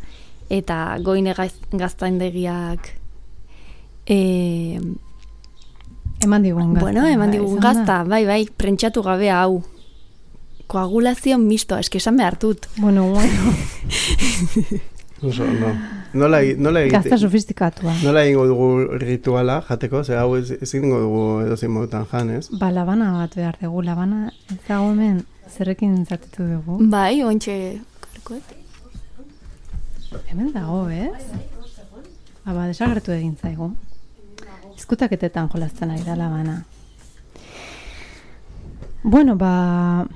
eta goine gaz- gaztaindegiak e, Eman digun gazta. bueno, eman bai, digun izan da. gazta, bai, bai, prentxatu gabea hau. Koagulazio mistoa, eske esan behar dut. Bueno, bueno, Oso, no. Nola, nola egite, gazta sofistikatua. nola egingo dugu rituala jateko, ze hau ez, ezin dugu edozein modutan jan, ez? Ba, labana bat behar dugu, labana ez dago hemen zerrekin zatetu dugu. Bai, ointxe karkoet. Hemen dago, ez? Aba, desagertu egin zaigu. Izkutaketetan jolazten ari da labana. Bueno, ba...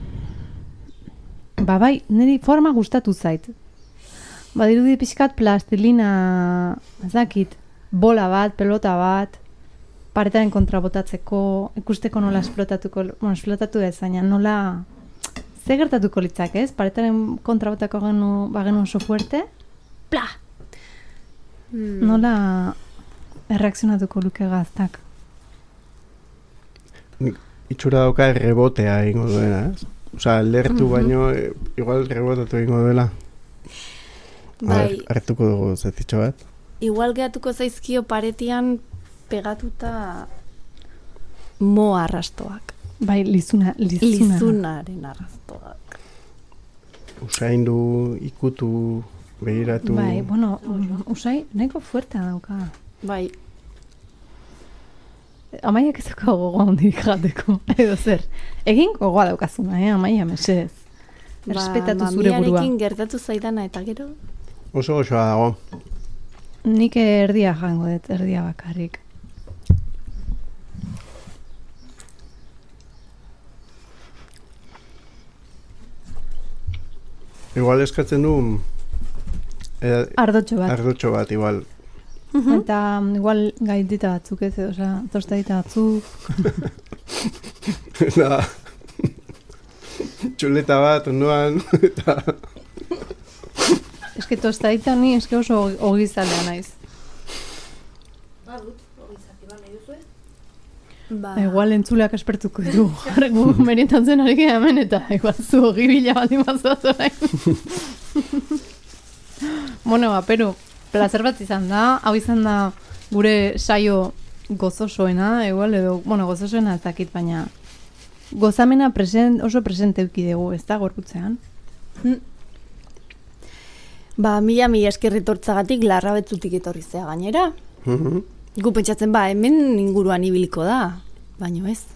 Ba, bai, niri forma gustatu zait. Ba, dirudi pixkat plastilina, ez dakit, bola bat, pelota bat, paretaren kontra botatzeko, ikusteko nola esplotatuko, bueno, esplotatu ez, baina nola... Ze gertatuko litzak, ez? Paretaren kontra botako genu, bagenu oso fuerte, pla! Mm. Nola erreakzionatuko luke gaztak. Nik itxura dauka rebotea egingo duena, ez? Osa, lertu baino, e, igual rebotatu egingo duela. Bai, Hartuko dugu zetitxo bat. igual gehatuko zaizkio paretian pegatuta mo arrastoak. Bai, lizuna, lizuna. Lizunaren arrastoak. Usaindu, ikutu, begiratu. Bai, bueno, mm, usai, nahiko fuertea dauka. Bai, Amaiak ez dauka gogoa hondik jateko, edo zer. Egin gogoa daukazuna, eh, Amaia, mesedez. Errespetatu zure burua. mamiarekin gertatu zaidana eta gero. Oso osoa dago. Nik erdia jango dut, erdia bakarrik. Igual eskatzen du eh, Ardotxo bat. ardotxo bat, igual. Eta mm, igual gaitita batzuk ez, osea, tostadita batzuk. Da, txuleta bat, ondoan, eta... Eske tostadita ni eske oso ogizalea naiz. Ba, Igual entzuleak espertuko ditu. Gu merientatzen ari gara hemen eta igual zu ogi bila bat imazaz orain. Bueno, ba, Peru, placer bat izan da. Hau izan da gure saio gozosoena, igual edo, bueno, gozosoena ez dakit, baina gozamena present, oso presente euki dugu, ez da, gorputzean. ba mila mila eskerritortzagatik larra betzutik etorri zea gainera. Mhm. Gu pentsatzen ba, hemen inguruan ibiliko da, baino ez.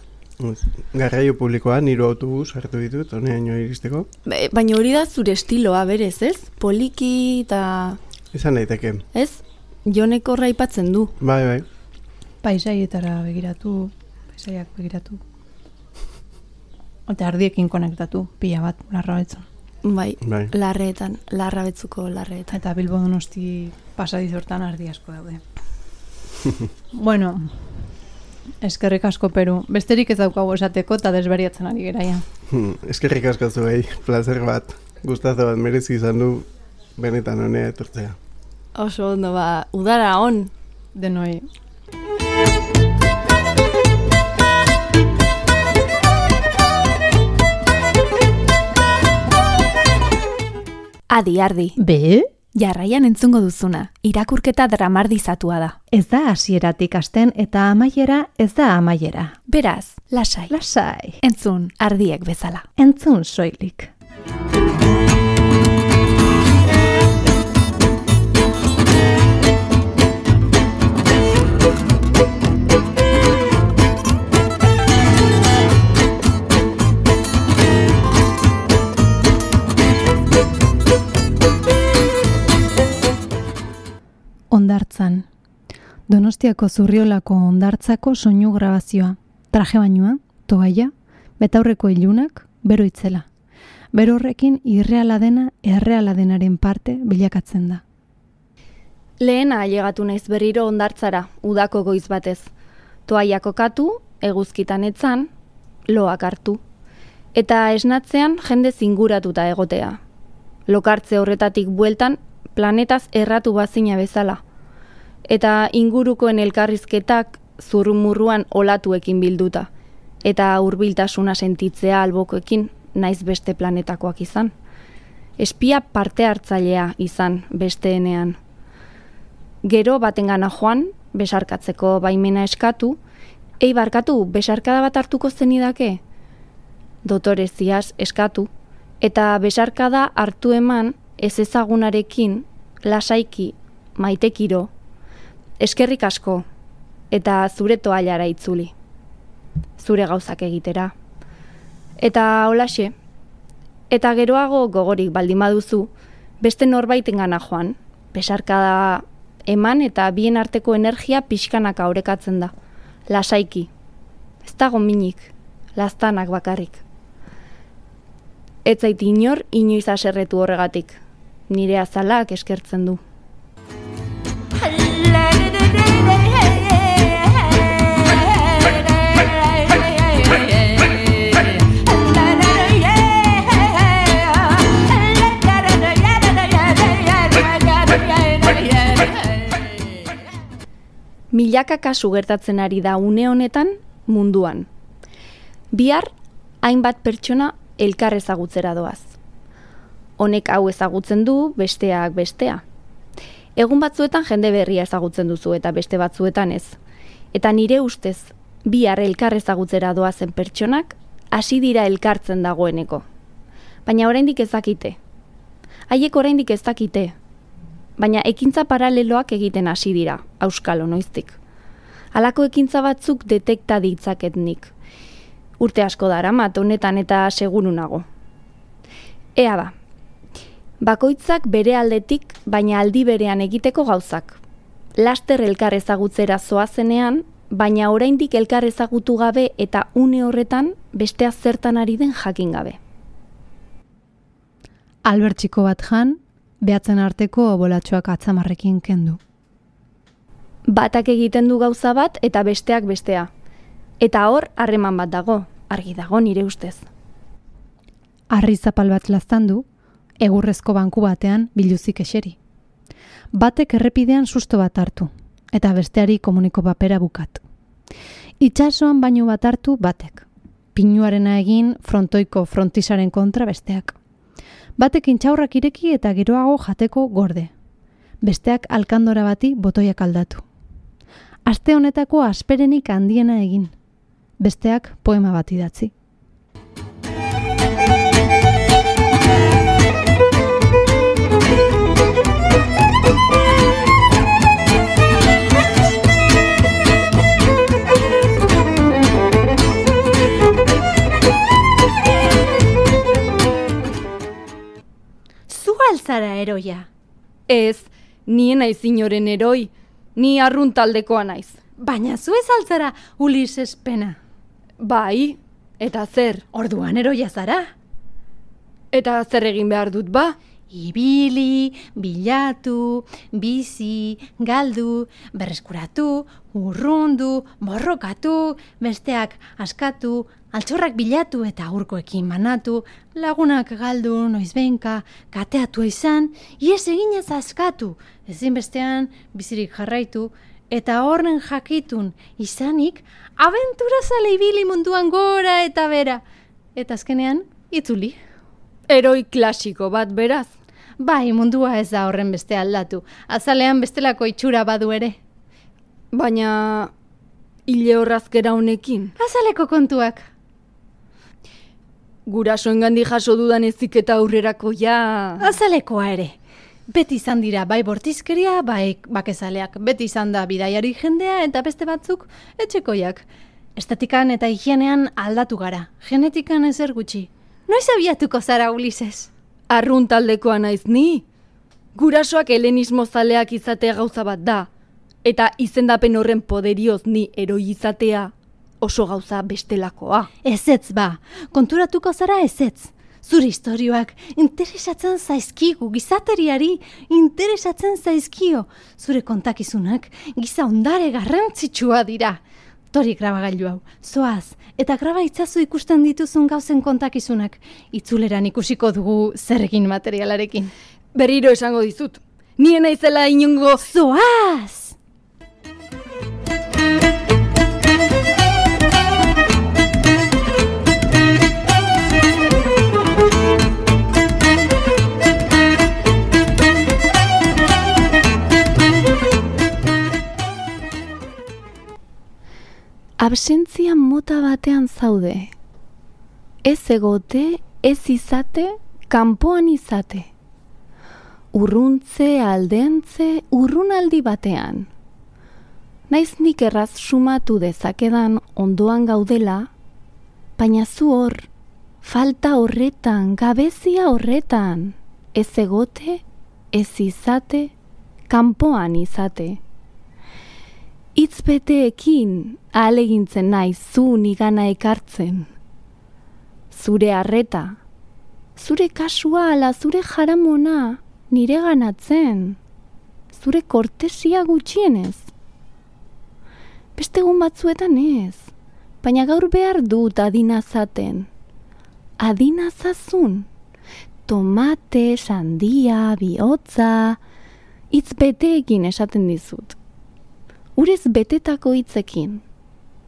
Garraio publikoan, hiru autobus hartu ditut, honeaino iristeko. Baina hori da zure estiloa berez, ez? Poliki eta... Izan daiteke. Ez? Jonek horra aipatzen du. Bai, bai. Paisaietara begiratu, paisaiak begiratu. Eta ardiekin konektatu, pila bat, larrabetzon. Bai, bai, larreetan, larrabetzuko larreetan. Eta Bilbo Donosti pasadizortan ardi asko daude. Bueno, eskerrik asko Peru. Besterik ez daukagu esateko eta desberiatzen ari geraia. Eskerrik asko zuei, placer bat. Gustazo bat merezi izan du benetan honea etortzea. Oso ondo ba, udara on. Denoi. Adi, ardi. Be? Jarraian entzungo duzuna, irakurketa dramardizatua da. Ez da hasieratik hasten eta amaiera ez da amaiera. Beraz, lasai. Lasai. Entzun, ardiek bezala. Entzun soilik. Ondartzan. Donostiako Zurriolako Ondartzako soinu grabazioa. Traje bainua, toaia, betaurreko ilunak, bero itzela. Bero horrekin irreala dena erreala denaren parte bilakatzen da. Lehena ailegatu naiz berriro Ondartzara, udako goiz batez. Toaia kokatu, eguzkitan etzan, loak hartu. Eta esnatzean jende zinguratuta egotea. Lokartze horretatik bueltan, planetaz erratu bazina bezala. Eta ingurukoen elkarrizketak zurrumurruan olatuekin bilduta. Eta hurbiltasuna sentitzea albokoekin naiz beste planetakoak izan. Espia parte hartzailea izan besteenean. Gero batengana joan, besarkatzeko baimena eskatu, ei barkatu, besarkada bat hartuko zenidake? Dotoreziaz eskatu, eta besarkada hartu eman ez ezagunarekin, lasaiki, maitekiro, eskerrik asko, eta zure toallara itzuli. Zure gauzak egitera. Eta holaxe, eta geroago gogorik baldin baduzu, beste norbaitengana joan, besarkada eman eta bien arteko energia pixkanaka orekatzen da. Lasaiki. Ez dago minik, laztanak bakarrik. Ez zait inor inoiz haserretu horregatik. Nire azalak eskertzen du. Milaka kasu gertatzen ari da une honetan munduan. Bihar, hainbat pertsona elkar ezagutzera doaz. Honek hau ezagutzen du, besteak bestea. Egun batzuetan jende berria ezagutzen duzu eta beste batzuetan ez. Eta nire ustez, bihar elkar ezagutzera doazen pertsonak hasi dira elkartzen dagoeneko. Baina oraindik ez dakite. Haiek oraindik ez dakite. Baina ekintza paraleloak egiten hasi dira, auskalo noiztik. Halako ekintza batzuk detekta ditzaket nik. Urte asko daramat honetan eta seguru nago. Ea ba, bakoitzak bere aldetik, baina aldi berean egiteko gauzak. Laster elkar ezagutzera zoazenean, baina oraindik elkar ezagutu gabe eta une horretan bestea zertan ari den jakin gabe. Albertxiko bat jan, behatzen arteko bolatxoak atzamarrekin kendu. Batak egiten du gauza bat eta besteak bestea. Eta hor harreman bat dago, argi dago nire ustez. Harri zapal bat laztandu, egurrezko banku batean biluzik eseri. Batek errepidean susto bat hartu, eta besteari komuniko papera bukat. Itsasoan bainu bat hartu batek. Pinuarena egin frontoiko frontisaren kontra besteak. Batek intxaurrak ireki eta geroago jateko gorde. Besteak alkandora bati botoiak aldatu. Aste honetako asperenik handiena egin. Besteak poema bat idatzi. zara eroia. Ez, nien naiz inoren eroi, ni arrun taldekoa naiz. Baina zu ez altzara Ulises pena. Bai, eta zer? Orduan eroia zara. Eta zer egin behar dut ba? Ibili, bilatu, bizi, galdu, berreskuratu, urrundu, borrokatu, besteak askatu, altxorrak bilatu eta aurkoekin manatu, lagunak galdu, noizbenka, kateatu izan, ies eginez askatu, ezinbestean bizirik jarraitu, eta horren jakitun izanik, abenturazale ibili munduan gora eta bera. Eta azkenean, itzuli. Eroi klasiko bat beraz. Bai, mundua ez da horren beste aldatu. Azalean bestelako itxura badu ere. Baina hile horrazkera honekin. Azaleko kontuak. Gurasoengandik jaso dudan heziketa aurrerako ja. Azalekoa ere. Beti izan dira bai bortizkeria, bai bakezaleak. Beti izan da bidaiari jendea eta beste batzuk etxekoiak. Estetikan eta higienean aldatu gara. Genetikan ezer gutxi. Noiz abiatuko zara, Ulises? Arrun taldekoa naiz ni. Gurasoak helenismo zaleak izatea gauza bat da. Eta izendapen horren poderioz ni eroi izatea oso gauza bestelakoa. Ezetz ba, konturatuko zara ezetz. Zure istorioak interesatzen zaizkigu, gizateriari interesatzen zaizkio. Zure kontakizunak giza ondare garrantzitsua dira. Tori grabagailu hau, zoaz, eta graba itzazu ikusten dituzun gauzen kontakizunak. Itzuleran ikusiko dugu zer egin materialarekin. Berriro esango dizut, nien naizela inongo... Zoaz! Absentzia mota batean zaude. Ez egote, ez izate, kanpoan izate. Urruntze, aldentze, urrunaldi batean. Naiz nik erraz sumatu dezakedan ondoan gaudela, baina zu hor, falta horretan, gabezia horretan. Ez egote, ez izate, kanpoan izate. Hitz beteekin ahalegintzen naiz zu nigana ekartzen. Zure harreta, zure kasua ala zure jaramona nire ganatzen, zure kortesia gutxienez. Beste egun batzuetan ez, baina gaur behar dut adinazaten. Adinazazun, tomate, sandia, bihotza, hitz beteekin esaten dizut. Urez betetako hitzekin,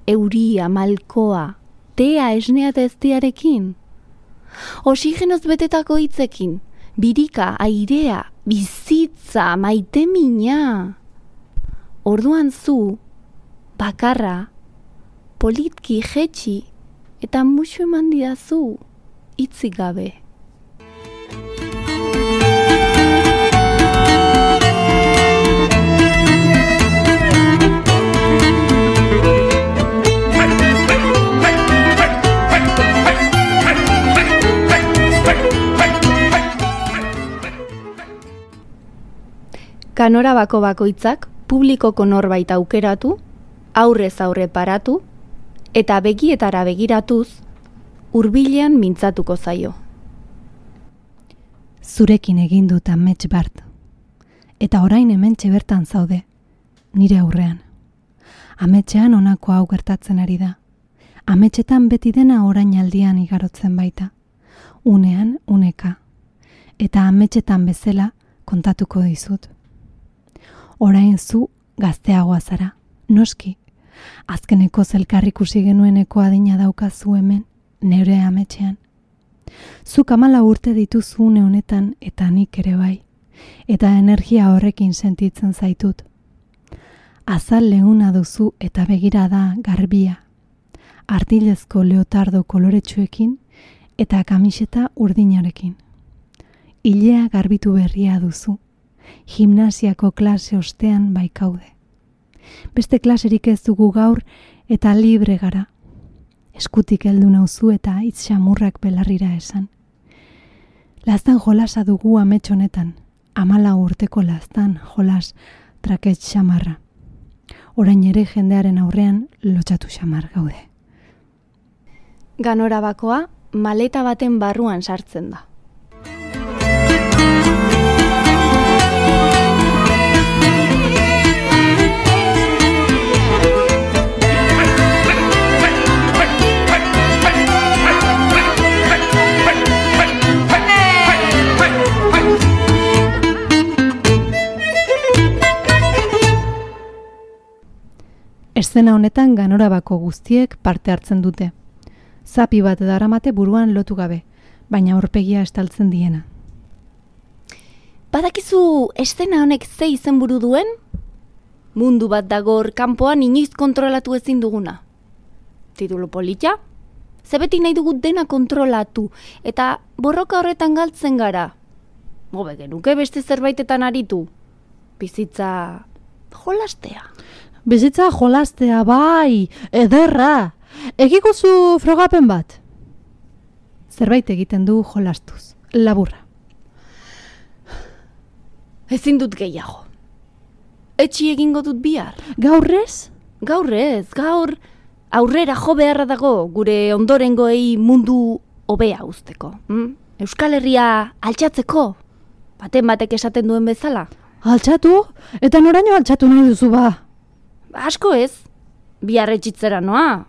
euria, malkoa, tea esnea eta eztiarekin. Oxigenoz betetako hitzekin, birika, airea, bizitza, maitemina. Orduan zu, bakarra, politki jetxi eta musu eman didazu hitzik gabe. Kanora bako bakoitzak publikoko norbait aukeratu, aurrez aurre paratu, eta begietara begiratuz, hurbilean mintzatuko zaio. Zurekin egin dut amets bart, eta orain hementxe bertan zaude, nire aurrean. Ametsean honako hau gertatzen ari da. Ametsetan beti dena orainaldian igarotzen baita, unean uneka, eta ametsetan bezala kontatuko dizut. Orain zu gazteagoa zara, noski. Azkeneko zelkar ikusi genueneko adina daukazu hemen, neure ametxean. Zuk hamala urte dituzu une honetan eta nik ere bai, eta energia horrekin sentitzen zaitut. Azal leuna duzu eta begirada garbia, artilezko leotardo koloretsuekin eta kamiseta urdinarekin. Ilea garbitu berria duzu. Gimnasiako klase ostean baikaude. Beste klaserik ez dugu gaur eta libre gara. Eskutik heldu nauzu eta hitz xamurrak belarrira esan. Laztan jolasa dugu amets honetan. Amala urteko laztan jolas trakets xamarra. Orain ere jendearen aurrean lotxatu xamar gaude. Ganora bakoa maleta baten barruan sartzen da. Eszena honetan ganorabako guztiek parte hartzen dute. Zapi bat daramate buruan lotu gabe, baina aurpegia estaltzen diena. Badakizu eszena honek ze izenburu duen? Mundu bat dagor kanpoan inoiz kontrolatu ezin duguna. Titulu polita? Ze beti nahi dugu dena kontrolatu eta borroka horretan galtzen gara. Gobe genuke beste zerbaitetan aritu. Bizitza jolastea. Bizitza jolastea, bai, ederra. Egikuzu frogapen bat. Zerbait egiten du jolastuz, laburra. Ezin dut gehiago. Etxi egingo dut bihar. Gaur ez? Gaur ez, gaur aurrera jo beharra dago gure ondorengoei mundu hobea uzteko. Hm? Euskal Herria altxatzeko, baten batek esaten duen bezala. Altxatu? Eta noraino altxatu nahi duzu ba? Asko ez, bihar etxitzera noa.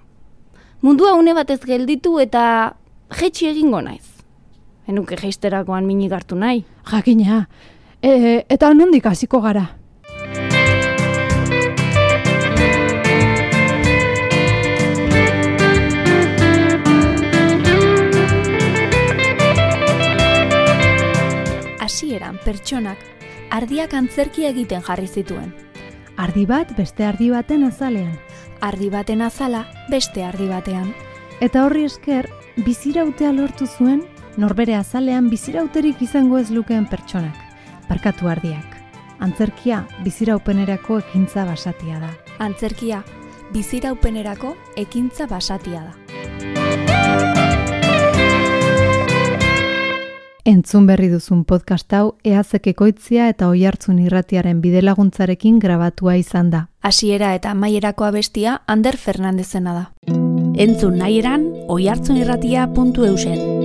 Mundua une batez gelditu eta jetxi egingo naiz. Enuke jeisterakoan minik hartu nahi. Jakina, e, eta nondik hasiko gara? Hasieran pertsonak ardiak antzerki egiten jarri zituen. Ardi bat beste ardi baten azalean. Ardi baten azala beste ardi batean. Eta horri esker, bizirautea lortu zuen, norbere azalean bizirauterik izango ez lukeen pertsonak. Barkatu ardiak. Antzerkia biziraupenerako ekintza basatia da. Antzerkia biziraupenerako ekintza basatia da. Entzun berri duzun podcast hau Eazek Ekoitzia eta Oihartzun Irratiaren bidelaguntzarekin grabatua izan da. Hasiera eta amaierako abestia Ander Fernandezena da. Entzun nahieran oihartzunirratia puntu eusen.